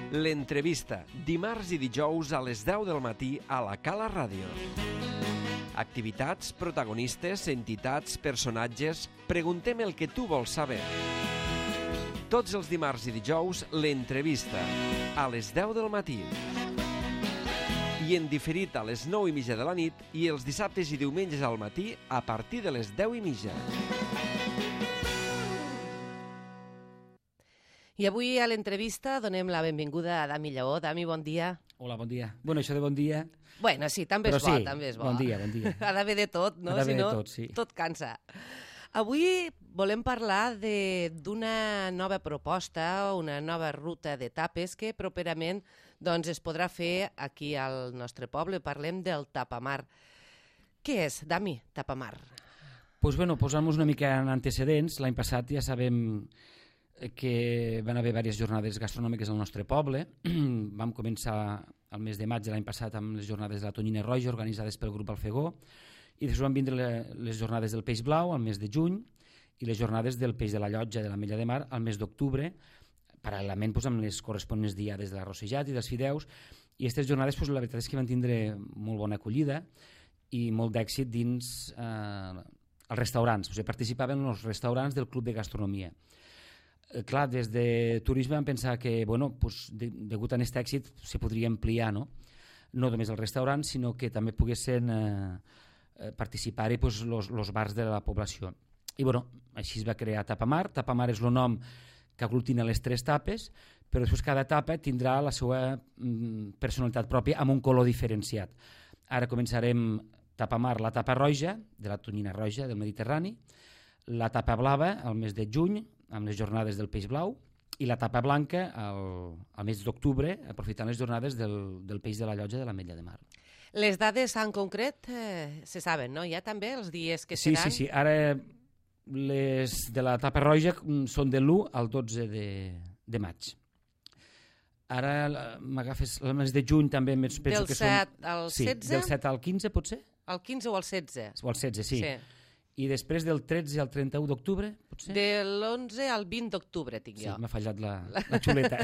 L'entrevista, dimarts i dijous a les 10 del matí a la Cala Ràdio. Activitats, protagonistes, entitats, personatges... Preguntem el que tu vols saber. Tots els dimarts i dijous, l'entrevista, a les 10 del matí. I en diferit a les 9:30 de la nit i els dissabtes i diumenges al matí a partir de les 10:30. I avui a l'entrevista donem la benvinguda a Dami Lleó. Dami, bon dia. Hola, bon dia. Bueno, això de bon dia... Bueno, sí, també és bo, també és bo. Bon dia, bon dia. Ha d'haver de tot, no? Ha d'haver Si no, de tot, sí. Tot cansa. Avui volem parlar d'una nova proposta, una nova ruta d'etapes que properament doncs, es podrà fer aquí al nostre poble. Parlem del Tapamar. Què és, Dami, Tapamar? Pues bueno, posant-nos una mica en antecedents, l'any passat ja sabem que van haver diverses jornades gastronòmiques al nostre poble. Vam començar el mes de maig de l'any passat amb les jornades de la tonyina roja organitzades pel grup Alfegó, i després van vindre les jornades del peix blau al mes de juny i les jornades del peix de la llotja de l'Ametlla de Mar al mes d'octubre, paral·lelament doncs, amb les corresponents diades de l'arrossejat i dels fideus. I aquestes jornades doncs, la veritat és que van tindre molt bona acollida i molt d'èxit dins els restaurants. O sigui, participaven els restaurants del Club de Gastronomia. Clar, des de turisme vam pensar que, bueno, pues, degut a aquest èxit se podria ampliar, no només els restaurants, sinó que també poguessin participar-hi pues, els bars de la població. I bueno, així es va crear Tapamar. Tapamar és el nom que aglutina les tres tapes, però després cada tapa tindrà la seva personalitat pròpia amb un color diferenciat. Ara començarem Tapamar, la tapa roja, de la tonyina roja del Mediterrani, la tapa blava al mes de juny, amb les jornades del peix blau, i la tapa blanca al mes d'octubre, aprofitant les jornades del peix de la llotja de l'Ametlla de Mar. Les dades en concret se saben, no? Ja també els dies que seran? Sí. Ara les de la tapa roja són de l'1 al 12 de maig. Ara m'agafes el mes de juny també penso que són... Del 7 al 16? Sí, del 7 al 15 potser? Al 15 o al 16? O al 16, sí. I després del 13 al 31 d'octubre, potser? De l'11 al 20 d'octubre tinc jo. Sí, m'ha fallat la xuleta.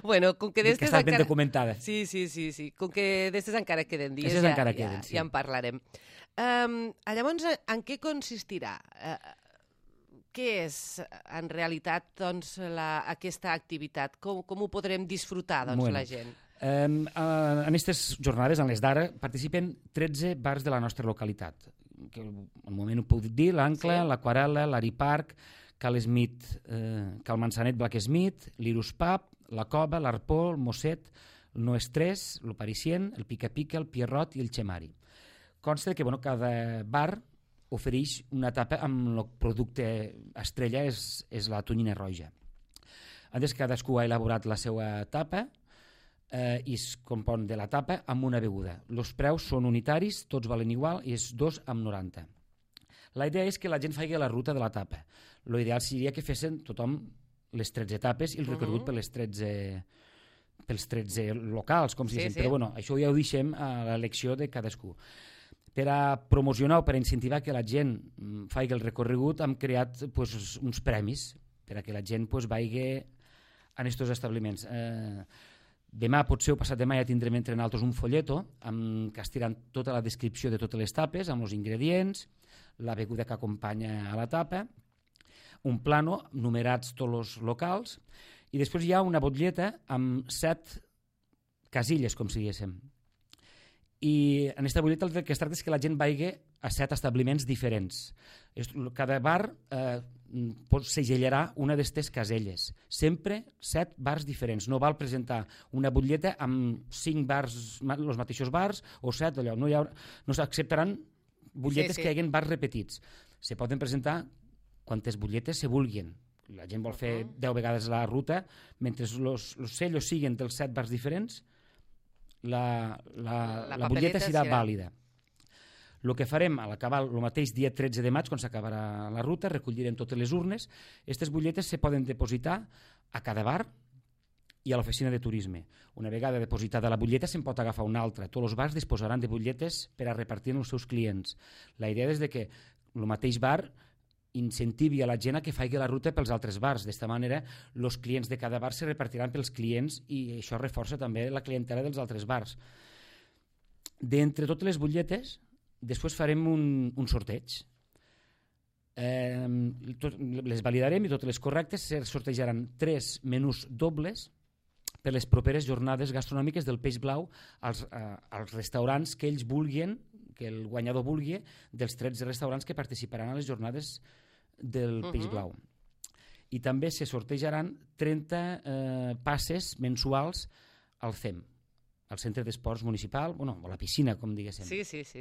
Bueno, com que d'estes està ben encara... documentada. Sí. Com que d'estes encara queden dies, ja en parlarem. Llavors, en què consistirà? Què és, en realitat, doncs, aquesta activitat? Com ho podrem disfrutar, doncs, la gent? En aquestes jornades, en les d'ara, participen 13 bars de la nostra localitat. Que al moment ho puc dir, l'Ancla, sí. L'Aquarel·la, l'Ariparc, Cal Smith, Cal Manzanet Black Smith, l'Irus Pub, la Cova, l'Arpó, el Mosset, el No Estrès, el Parisien, el Pica Pica, el Pierrot i el Xemari. Consta que cada bar ofereix una tapa amb el producte estrella, és la tonyina roja. Antes cadascú ha elaborat la seva tapa i es compon de la tapa amb una beguda. Els preus són unitaris, tots valen igual i és 2,90. La idea és que la gent faci la ruta de la tapa. L'ideal seria que fessin tothom les 13 tapes i el recorregut pels 13 locals, com si diguéssim. Però bueno, això ja ho deixem a l'elecció de cadascú. Per a promocionar o per a incentivar que la gent faci el recorregut hem creat uns premis per a que la gent vagi en aquests establiments. Demà, potser o passat demà, ja tindrem entre nosaltres un folleto que estiran tota la descripció de totes les tapes, amb els ingredients, la beguda que acompanya a la tapa, un plano, numerats tots els locals, i després hi ha una botlleta amb 7 casilles, com si diguéssim. I en aquesta botlleta el que es tracta és que la gent vagi a 7 establiments diferents. Cada bar segellarà una d'aquestes caselles. Sempre 7 bars diferents. No val presentar una botlleta amb 5 bars, els mateixos bars, o 7, allò. No s'acceptaran butlletes que hi hagin bars repetits. Se poden presentar quantes butlletes se vulguin. La gent vol fer 10 vegades la ruta, mentre els sellos siguin dels 7 bars diferents, la butlleta serà vàlida. El que farem a l'acabar el mateix dia 13 de maig, quan s'acabarà la ruta, recollirem totes les urnes. Aquestes butlletes se poden depositar a cada bar i a l'oficina de turisme. Una vegada depositada la butlleta se'n pot agafar una altra. Tots els bars disposaran de butlletes per a repartir als seus clients. La idea és que el mateix bar incentivi a la gent a que faci la ruta pels altres bars. D'esta manera, els clients de cada bar se repartiran pels clients i això reforça també la clientela dels altres bars. D'entre totes les butlletes, després farem un sorteig. Les validarem i totes les correctes. Se sortejaran 3 menús dobles per les properes jornades gastronòmiques del Peix Blau als restaurants que ells vulguin, que el guanyador vulgui, dels 13 restaurants que participaran a les jornades del Peix Blau. I també se sortejaran 30 passes mensuals al CEM, al Centre d'Esports Municipal, o la piscina, com diguéssim. Sí.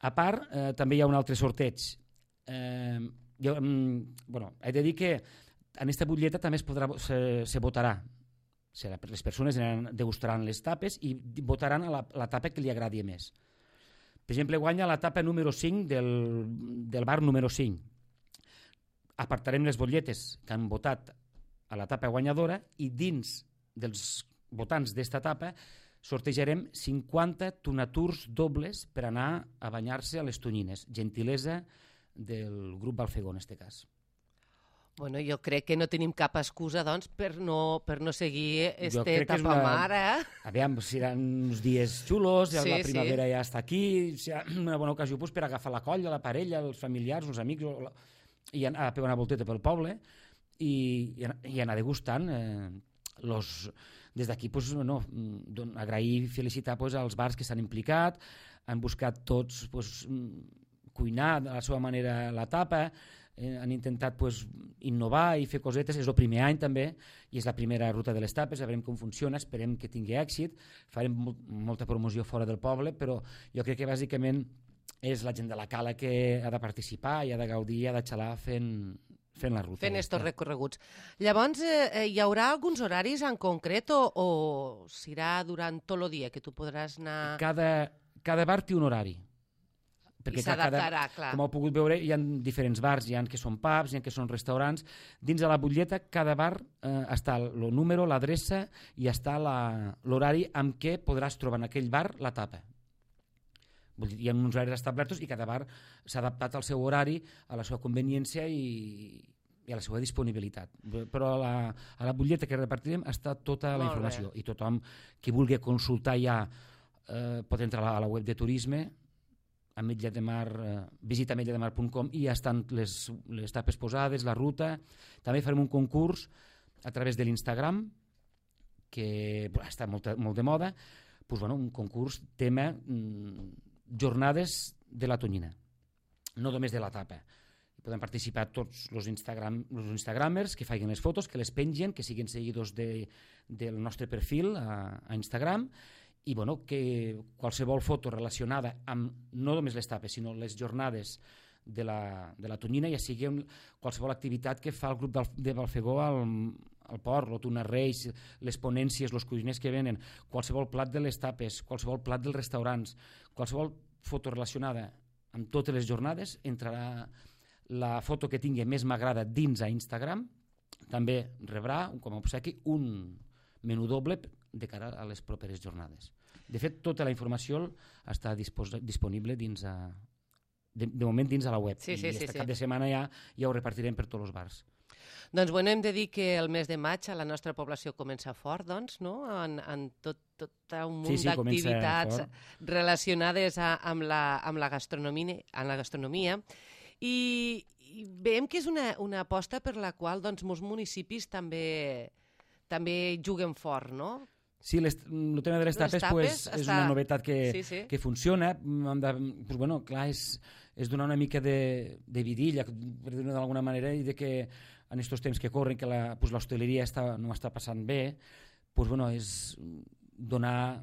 A part, també hi ha un altre sorteig. He de dir que en aquesta butlleta també se votarà. Les persones degustaran les tapes i votaran a la tapa que li agradi més. Per exemple, guanya la tapa número 5 del bar número 5. Apartarem les butlletes que han votat a la tapa guanyadora i dins dels votants d'esta tapa sortejarem 50 tonaturs dobles per anar a banyar-se a les Tonyines. Gentilesa del grup Balfegó, en aquest cas. Bueno, jo crec que no tenim cap excusa, doncs, per no seguir tapamar, Aviam, seran uns dies xulos, la primavera ja està aquí, serà una bona ocasió per agafar la colla, la parella, els familiars, els amics, i anar a pegar una volteta pel poble i anar degustant. Des d'aquí, agrair i felicitar als bars que s'han implicat, han buscat tots cuinar de la seva manera la tapa, han intentat innovar i fer cosetes. És el primer any també i és la primera ruta de les tapes, veurem com funciona, esperem que tingui èxit, farem molta promoció fora del poble, però jo crec que bàsicament és la gent de la cala que ha de participar i ha de gaudir i ha de xalar fent la ruta. Fent estos recorreguts. Llavors, hi haurà alguns horaris en concret o serà durant tot el dia que tu podràs anar... Cada bar té un horari. I s'adaptarà, clar. Com heu pogut veure, hi ha diferents bars, hi ha que són pubs, hi ha que són restaurants. Dins de la butlleta, cada bar està el número, l'adreça i està l'horari amb què podràs trobar en aquell bar la tapa. Hi ha uns horaris establerts i cada bar s'ha adaptat al seu horari, a la seva conveniència i a la seva disponibilitat. Però a la butlleta que repartirem està tota la informació i tothom qui vulgui consultar ja pot entrar a la web de turisme, visita ametlla-de-mar.com i ja estan les tapes posades, la ruta. També farem un concurs a través de l'Instagram que està molt de moda, un concurs tema jornades de la Tonyina, no només de la tapa. Poden participar tots els instagramers que facin les fotos, que les pengen, que siguin seguidors del nostre perfil a Instagram, i que qualsevol foto relacionada amb no només les tapes, sinó les jornades de la Tonyina, ja sigui qualsevol activitat que fa el grup de Balfegó al port, el Tuna Reis, les ponències, els cuiners que venen, qualsevol plat de les tapes, qualsevol plat dels restaurants, qualsevol foto relacionada amb totes les jornades, entrarà la foto que tingui més m'agrada dins a Instagram, també rebrà com a obsequi un menú doble de cara a les properes jornades. De fet, tota la informació està disponible de moment dins a la web. I aquest cap de setmana ja ho repartirem per tots els bars. Doncs hem de dir que el mes de maig a la nostra població comença fort, doncs, no? En tot un munt d'activitats relacionades amb la gastronomia. I veiem que és una aposta per la qual molts municipis també juguen fort, no? Sí, el tema de les tapes és una novetat que funciona. Clar, és donar una mica de vidilla, per dir-ho d'alguna manera, i que en aquests temps que corren, que l'hostaleria no està passant bé, és donar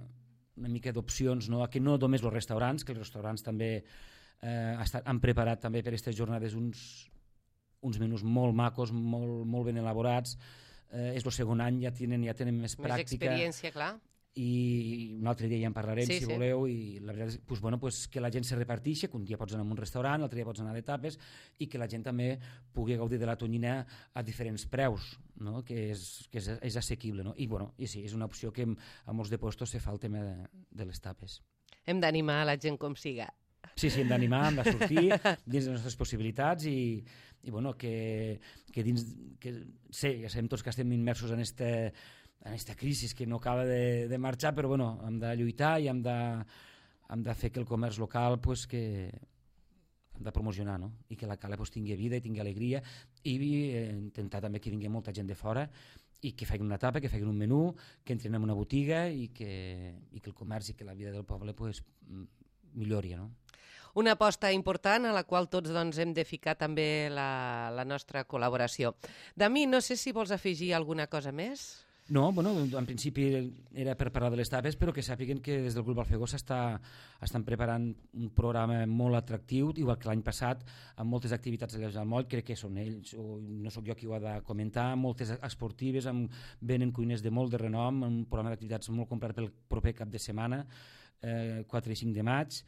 una mica d'opcions, que no només els restaurants, que els restaurants també han preparat també per aquestes jornades uns menús molt macos, molt ben elaborats. És el segon any, ja tenen més pràctica. Més experiència, clar. I un altre dia ja en parlarem, si voleu, i la veritat és que la gent se reparteixi, que un dia pots anar a un restaurant, l'altre dia pots anar de tapes, i que la gent també pugui gaudir de la Tonyina a diferents preus, que és assequible. I sí, és una opció que a molts de puestos se fa el tema de les tapes. Hem d'animar a la gent com siga. Sí, hem d'animar, hem de sortir dins de les nostres possibilitats i bueno, que dins... Sí, ja sabem tots que estem immersos en aquesta crisi que no acaba de marxar, però bueno, hem de lluitar i hem de fer que el comerç local que hem de promocionar, no? I que la cala tingui vida i tingui alegria i intentar també que vingui molta gent de fora i que facin una tapa, que facin un menú, que entrin en una botiga i que el comerç i que la vida del poble millori, no? Una aposta important a la qual tots hem de ficar també la nostra col·laboració. Dami, no sé si vols afegir alguna cosa més? No, bueno, en principi era per parlar de les tapes, però que sàpiguen que des del Grup Alfegó estan preparant un programa molt atractiu, igual que l'any passat, amb moltes activitats allà al moll, crec que són ells, o no sóc jo qui ho ha de comentar, moltes esportives, venen cuiners de molt de renom, un programa d'activitats molt comprat pel proper cap de setmana, 4 i 5 de maig,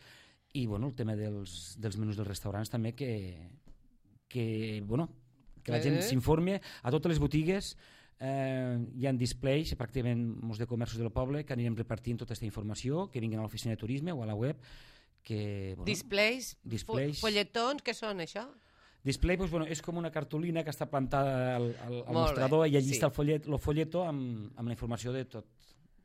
i bueno, el tema dels menús dels restaurants també, que la gent s'informi. A totes les botigues hi ha displays, pràcticament molts de comerços del poble, que anirem repartint tota aquesta informació, que vinguin a l'oficina de turisme o a la web. Displays, folletons, què són això? Display és com una cartolina que està plantada al mostrador i allí està el folleto amb la informació de tot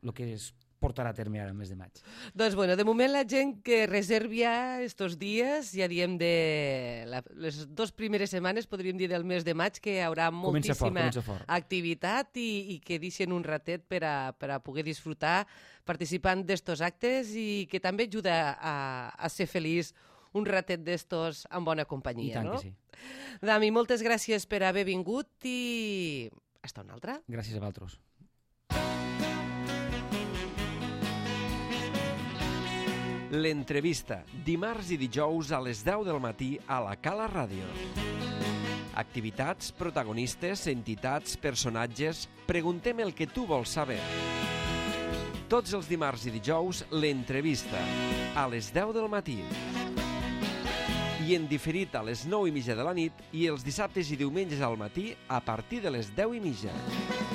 el que es portarà a terme ara el mes de maig. Doncs bueno, de moment la gent que reservi ja estos dies, ja diem les 2 primeres setmanes, podríem dir del mes de maig, que hi haurà moltíssima activitat i que deixen un ratet per a poder disfrutar participant d'estos actes i que també ajuda a ser feliç un ratet d'estos en bona companyia. I tant que sí. Dami, moltes gràcies per haver vingut i hasta una altra. Gràcies a vosaltres. L'entrevista, dimarts i dijous a les 10 del matí a la Cala Ràdio. Activitats, protagonistes, entitats, personatges... Preguntem el que tu vols saber. Tots els dimarts i dijous, l'entrevista, a les 10 del matí. I en diferit a les 9:30 de la nit i els dissabtes i diumenges al matí a partir de les 10:30.